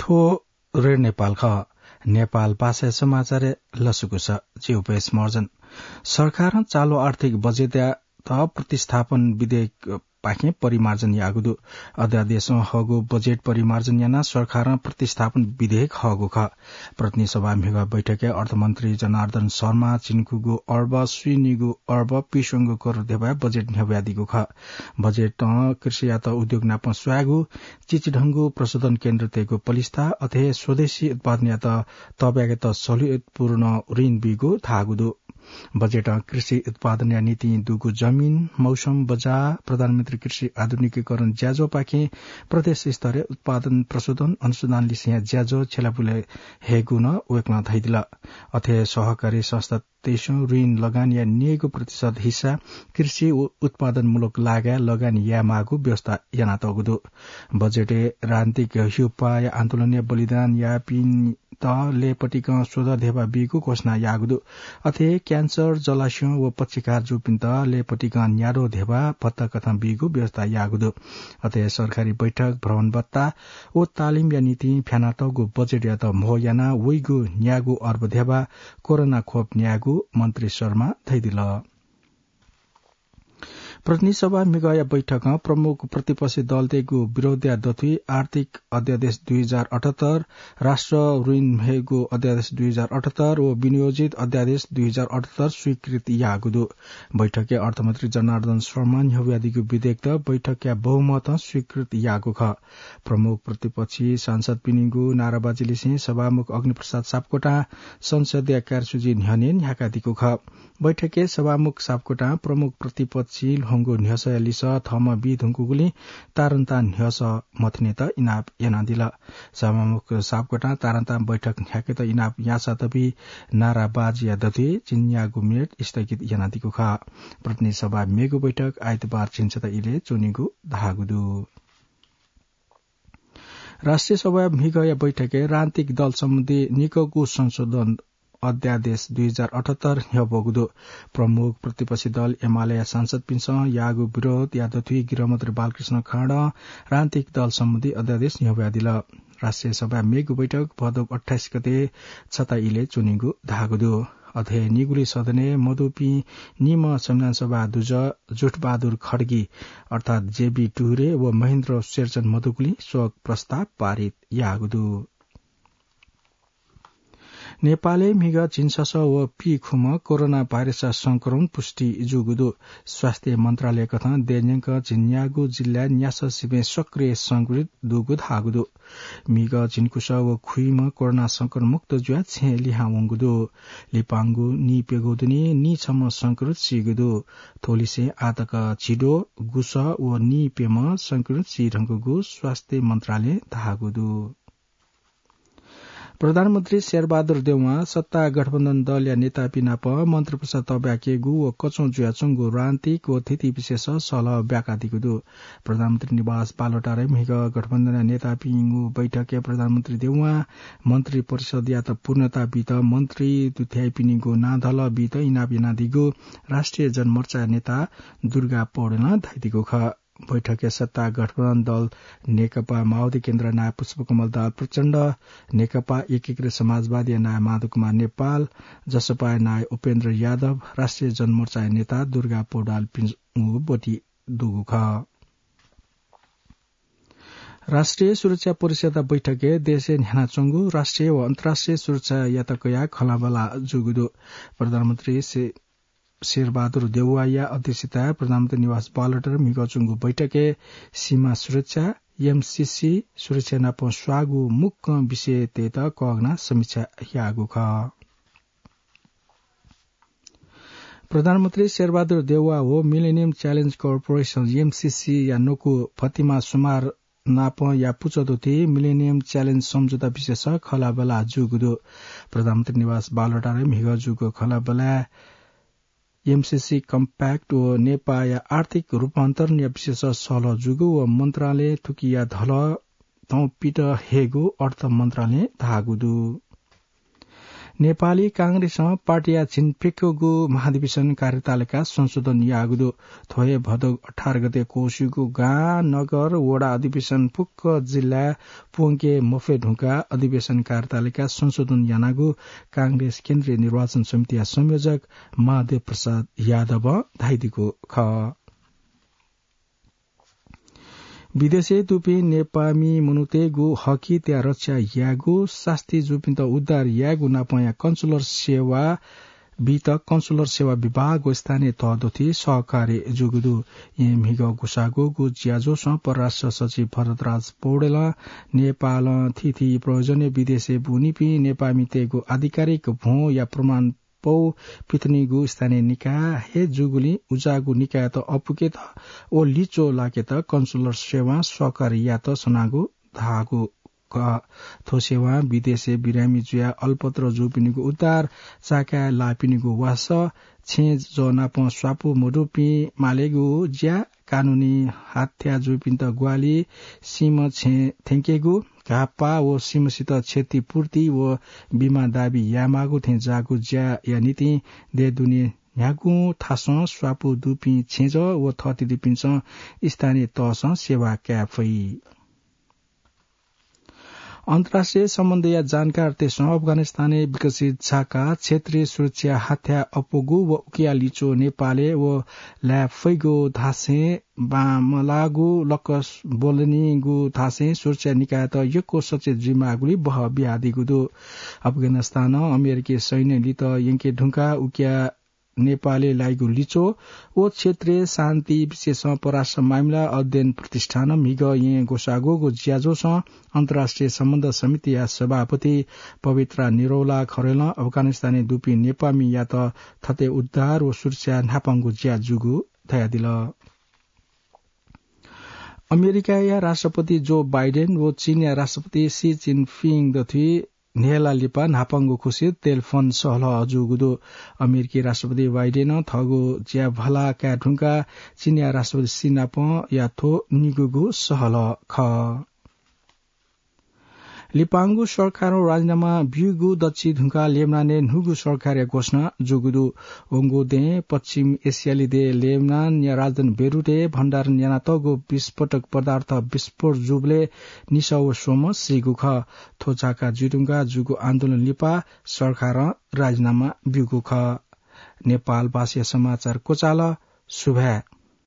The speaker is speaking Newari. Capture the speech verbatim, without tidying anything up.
थ्व रेडियो नेपाल खः। नेपाल भाषाया समाचारय् लसकुस। जि उपेश महर्जन। सरकारं चालु आर्थिक बजेटयात प्रतिस्थापन विधेयकपाखें परिमार्जन याःगु दु। अध्यादेशं हःगु बजेट परिमार्जन यानाः सरकारं प्रतिस्थापन विधेयक हःगु खः। प्रतिनिधि सभा म्हिगः बैठकय् अर्थमन्त्री जनार्दन शर्मां झिंनिगूगु अर्ब स्वीनिगू अर्ब पीस्वंगू करोड धेबाया बजेट न्ह्यब्वयादीगु खः। बजेटं कृषियात उद्योग नाप स्वयागु, चिचिधंगु प्रशोधन केन्द्रतय्गु पलिस्था, अथे हे स्वदेशी उत्पादनयात तःब्याकेत सहुलियतपूर्ण ऋण बीगु धाःगु दु। बजेटं कृषि उत्पादनया निंतिं दुगु जमिन, मौसम बजार, प्रधानमन्त्री कृषि आधुनिकीकरण ज्याझ्वःपाखें प्रदेश स्तरय् उत्पादन प्रशोधन अनुसन्धान लिसेया ज्याझ्वः छ्यलापुले हयेगु नं वय्कलं धयादिल। अथे हे सहकारी संस्था तय्सं ऋण लगानीया न्यय्गू प्रतिशत हिस्सा कृषि उ-, उत्पादनमूलक लागाय् लगानी यायेमाःगु व्यवस्था यानातःगु दु। बजेटय् राजनीतिक ह्यूपाःया आन्दोलनय् बलिदान याःपिन्त लय्पतिकं स्वदँ धेबा बीगु घोषणा याःगु दु। अथे हे क्यान्सर, जलास्यं व पक्षाघात जूपिन्त लय्पतिकं न्याद्वः धेबा भत्ता कथं बीगु व्यवस्था याःगु दु। अथे हे सरकारी बैठक, भ्रमण भत्ता व तालिमया निंतिं फ्यानातःगु बजेटयात म्हो यानाः वइगु न्यागू अर्ब धेबा कोरोना खोप न्यायेगु मन्त्री शर्मां धयादिल। प्रतिनिधि सभा म्हिगःया बैठकं प्रमुख प्रतिपक्षी दलतय्गु विरोधया दथुइ आर्थिक अध्यादेश दुई हजार अठहत्तर, राष्ट्र ऋण हयेगु अध्यादेश दुई हजार अठहत्तर व विनियोजित अध्यादेश दुई हजार अठहत्तर स्वीकृत याःगु दु। बैठकय् अर्थमन्त्री जनार्दन शर्मां न्ह्यब्वयादीगु विधेयकत बैठकया बहुमतं स्वीकृत याःगु खः। प्रमुख प्रतिपक्षी सांसदपिनिगु नाराबाजीलिसें सभामुख अग्निप्रसाद सापकोटां संसदया कार्यसूची न्ह्यःने न्ह्याकादीगु खः। बैठकय् सभामुख सापकोटां प्रमुख प्रतिपक्षी ल्ह्वंगु न्ह्यसःया लिसः थःम्हं बी धुंकूगुलिं तारन्तां न्ह्यसः मथनेत इनाप यानादिल। सभामुख सापकोटां तारन्तां बैठक न्ह्याकेत इनाप याःसां तबी नाराबाजीया दथुइ झिंन्यागू मिनेट स्थगित यानादीगु खः। प्रतिनिधि सभा मेगु बैठक आइतबार झिंछता इलय् च्वनीगु धाःगु दु। राष्ट्रिय सभाया म्हिगःया बैठकय् राजनीतिक दल सम्बन्धी निकःगु संशोधन अध्यादेश दुई हजार अठहत्तर न्ह्यब्वःगु दु। प्रमुख प्रतिपक्षी दल एमालेया सांसदपिन्सं याःगु विरोधया दथुइ गृहमन्त्री बालकृष्ण खाँडं राजनीतिक दल सम्बन्धी अध्यादेश न्ह्यब्वयादिल। राष्ट्रिय सभाया मेगु बैठक भदौ अट्ठाइस गते छता इलय् च्वनीगु धाःगु दु। अथे निगुली सदनय् मदुपिं निम्ह संविधान सभा दुजः जुठबहादुर खड्गी अर्थात् जेबी टुरे व महेन्द्र शेरचन मदुगुलिं शोक प्रस्ताव पारित याःगु दु। नेपालय् म्हिगः झिंछसः व पीखुम्ह कोरोना भाइरसया संक्रमण पुष्टि जूगु दु। स्वास्थ्य मन्त्रालय कथं देय्‌न्यंक झिंन्यागू जिल्लाय् न्यासः सिबें सक्रिय संक्रमित दुगु धाःगु दु। म्हिगः झिंकुसः व खुइम्ह कोरोना संक्रमण मुक्त जुयाः छेँय् लिहां वंगु दु। लिपांगु नीप्यघौ दुने नीछम्ह संक्रमित सीगु दु। थ्वलिसें आःतक झिद्वः, गुसः व नीप्यम्ह संक्रमित सी धुंकूगु स्वास्थ्य मन्त्रालयं धाःगु दु। प्रधानमन्त्री शेरबहादुर देउवां सत्ता गठबन्धन दलया नेतापिं नाप मन्त्रिपरिषद तःब्याकेगु व कचं जुयाच्वंगु राजनीतिक व थीथी विषयस सहलह ब्याकादीगु दु। प्रधानमन्त्री निवास बालुवाटारय् म्हिगः गठबन्धनया नेतापिनिगु बैठकय् प्रधानमन्त्री देउवां मन्त्रिपरिषदयात पूर्णता बीत मन्त्री दुथ्याइपिनिगु नां धलः बीत इनाप यानादीगु राष्ट्रिय जनमोर्चाया नेता दुर्गा पौडेलं धयादीगु खः। बैठकय् सत्ता गठबन्धन दल नेकपा माओवादी केन्द्रया नायः पुष्पकमल दाहाल प्रचण्ड, नेकपा एकीकृत समाजवादीया नायः माधव कुमार नेपाल, जसपाया नायः उपेन्द्र यादव, राष्ट्रिय जनमोर्चाया नेता दुर्गा पौडेलपिनिगु ब्वति दुगु खः। राष्ट्रिय सुरक्षा परिषदया बैठकय् देशय् न्ह्यानाच्वंगु राष्ट्रिय व अन्तर्राष्ट्रिय सुरक्षायात कयाः खँल्हाबल्हा जूगु दु। प्रधानमन्त्री शे-, शेरबहादुर देउवाया अध्यक्षताय् प्रधानमन्त्री निवास बालुवाटारय् म्हिगः च्वंगु बैठकय् सीमा सुरक्षा, एमसिसी, सुरक्षा नाप स्वाःगु मुक्कं विषयतय्त कःघानाः समीक्षा याःगु खः। प्रधानमन्त्री शेरबहादुर देउवा व Millennium Challenge Corporation, एमसिसीया न्वकू फतिमा सुमार नापं या पुचः दुथ्याः Millennium Challenge सम्झौता विषयस खँल्हाबल्हा जूगु दु। प्रधानमन्त्री निवास बालुवाटारय् म्हिगः जूगु खँल्हाबल्हाय् एमसिसी Compact व नेपाःया आर्थिक रूपान्तरणया विषयस सहलह जूगु व मन्त्रालयं थुकिया धलः थौं पित हयेगु अर्थ मन्त्रालयं धाःगु दु। नेपाली कांग्रेसं पार्टीया झिंप्यक्वःगु महाधिवेशन कार्यतालिका संशोधन याःगु दु। थ्व हे भदौ अठार गते क्वःसीगु गां, नगर, वडा अधिवेशन फुक्क जिल्लाय् प्वंके मफये धुंकाः अधिवेशन कार्यतालिका संशोधन यानागु कांग्रेस केन्द्रीय निर्वाचन समितिया संयोजक महादेव प्रसाद यादवं धयादीगु खः। विदेशय् दुपिं नेपाःमि मनूतय्‌गु हकहितया रक्षा यायेगु, सास्ती जूपिन्त उद्धार यायेगु नापंया कन्सुलर सेवा बीत कन्सुलर सेवा विभाग व स्थानीय तह दथुइ सहकार्य जूगु दु। येँ म्हिगः ग्वसाः ग्वःगु ज्याझ्वलय् परराष्ट्र सचिव भरतराज पौडेलं नेपालं थीथी प्रयोजनय् विदेशय् वनीपिं नेपाःमितय्‌गु आधिकारिक भ्वंया प्रमाण पौ पिथनेगु स्थानीय निकाय हे जूगुलिं उज्याःगु निकायत अपुकेत व लिच्वः लाकेत कन्सुलर सेवां सहकार्य यायेत सनागु धाःगु खः। थ्व सेवां विदेशय् बिरामी जुयाः अलपत्र जूपिनिगु उद्धार, चाकाय् लाःपिनिगु वासः, छेँजः नाप स्वापू मदुपिं मालेगु ज्या, कानूनी हत्या जूपिन्त ग्वाहालि, सीम्ह छेँ थ्यंकेगु, घाःपाः व सीम्हसित क्षतिपूर्ति व बिमा दाबी यायेमाःगु थें ज्याःगु ज्याया निंतिं देय् दुने न्ह्यागुं थासं स्वापू दुपिं छेँजः व थःथितिपिन्सं स्थानीय तहसं सेवा काये फइ। अन्तर्राष्ट्रिय सम्बन्धया जानकारतय्‌सं अफगानिस्तानय् विकसित झाका क्षेत्रीय सुरक्षा हत्या अप्वःगु व उकिया लिच्वः नेपालय् व लाये फइगु धासें बांमलाःगु लक्क ब्वलनीगु धासें सुरक्षा निकायत यक्व सचेत जुइमाःगुलिं बहः बियादीगु दु। अफगानिस्तानं अमेरिकी सैन्य लित यंके धुंकाः उकिया नेपालय् लाइगु लिच्वः व क्षेत्रीय शान्ति विषयसं परराष्ट्र मामिला अध्ययन प्रतिष्ठानं म्हिगः येँ ग्वसाः ग्वःगु ज्याझ्वलय् अन्तर्राष्ट्रिय सम्बन्ध समितिया सभापति पवित्रा निरौला खरेलं अफगानिस्तानय् दुपिं नेपाःमियात थथे उद्धार व सुरक्षा न्हापांगु ज्या जूगु धयादिल। अमेरिकाया राष्ट्रपति जो बाइडेन व चीनया राष्ट्रपति सी जिनपिङ दथुइ न्हय्‌ला लिपा न्हापांगु खुसि टेलिफोन सहलह जूगु दु। अमेरिकी राष्ट्रपति बाइडेनं थःगु ज्या भला काये धुंकाः चीनया राष्ट्रपति सी नापं याः। थ्व निगूगु सहलह खः। लिपांगु सरकारं राजीनामा ब्यूगु दच्छि धुंकाः लेबनानय् न्हूगु सरकारया घोषणा जूगु दु। वंगु दँय् पश्चिम एसियाली देय् लेबनानया राजधानी बेरुटय् भण्डारण यानातःगु विस्फोटक पदार्थ विस्फोट जूबलय् निसः व स्वम्ह सीगु खः। थ्व झाका जुइधुंकाः जूगु आन्दोलन लिपा सरकारं राजीनामा ब्यूगु खः। नेपालभाषाया समाचार क्वचाल। सुभाय्।